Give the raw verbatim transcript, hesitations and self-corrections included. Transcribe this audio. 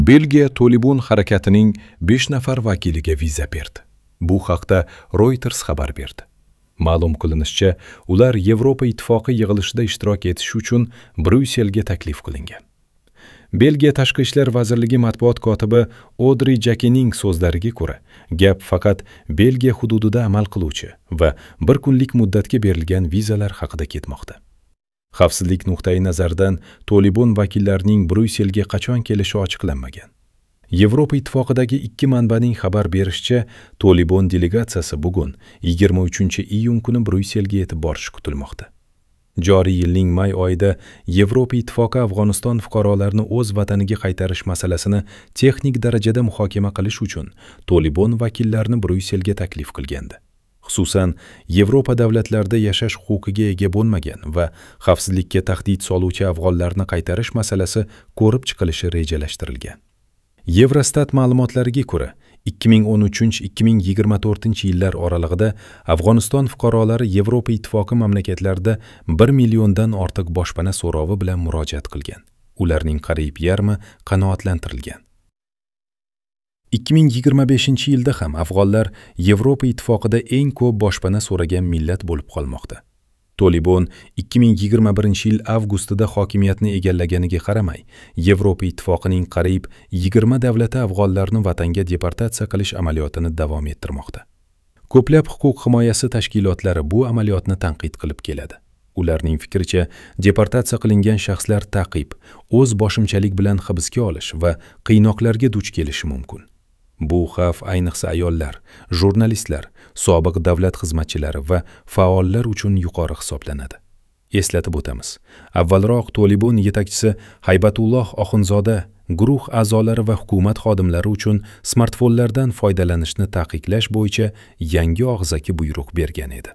Belgiya Tolibon harakatining besh nafar vakiliga viza berdi. Bu haqda Reuters xabar berdi. Ma'lum qilinishicha, ular Yevropa Ittifoqi yig'ilishida ishtirok etish uchun Bryusselga taklif qilingan. Belgiya Tashqi ishlar vazirligi matbuot kotibi Odri Jakening so'zlariga ko'ra, gap faqat Belgiya hududida amal qiluvchi va bir kunlik muddatga berilgan vizalar haqida ketmoqda. Xavfsizlik nuqtai nazaridan Tolibon vakillarining Bryusselga qachon kelishi ochiqlanmagan. Yevropa Ittifoqidagi ikki manbaning xabar berishicha, Tolibon delegatsiyasi bugun yigirma uchinchi iyun kuni Bryusselga yetib borishi kutilmoqda. Joriy yilning may oyida Yevropa Ittifoqi Afg'oniston fuqarolarini o'z vataniga qaytarish masalasini texnik darajada muhokama qilish uchun Tolibon vakillarini Bryusselga taklif qilgandi. Xususan, Yevropa davlatlarida yashash huquqiga ega bo'lmagan va xavfsizlikka tahdid soluvchi afg'onlarni qaytarish masalasi ko'rib chiqilishi rejalashtirilgan. Yevrostat ma'lumotlariga ko'ra, ikki ming o'n uchinchi ikki ming yigirma to'rtinchi yillar oralig'ida Afg'oniston fuqarolari Yevropa Ittifoqi mamlakatlarida bir milliondan ortiq boshpana so'rovi bilan murojaat qilgan. Ularning qariyb yarmi qanoatlantirilgan. ikki ming yigirma beshinchi yilda ham afg'onlar Yevropa Ittifoqida eng ko'p boshpana so'ragan millat bo'lib qolmoqda. Tolibon ikki ming yigirma birinchi yil avgustida hokimiyatni egallaganiga qaramay, Yevropa Ittifoqining qariyb yigirma davlati afg'onlarni vatanga deportatsiya qilish amaliyotini davom ettirmoqda. Ko'plab huquq himoyasi tashkilotlari bu amaliyotni tanqid qilib keladi. Ularning fikricha, deportatsiya qilingan shaxslar ta'qib, o'z boshimchalik bilan hibsga olish va qiynoqlarga duch kelishi mumkin. Bu xavf ayniqsa ayollar, jurnalistlar, sobiq davlat xizmatchilari va faollar uchun yuqori hisoblanadi. Eslatib o'tamiz, avvalroq Tolibon yetakchisi Haybatulloh Oxunzoda guruh a'zolari va hukumat xodimlari uchun smartfonlardan foydalanishni taqiqlash bo'yicha yangi og'zaki buyruq bergan edi.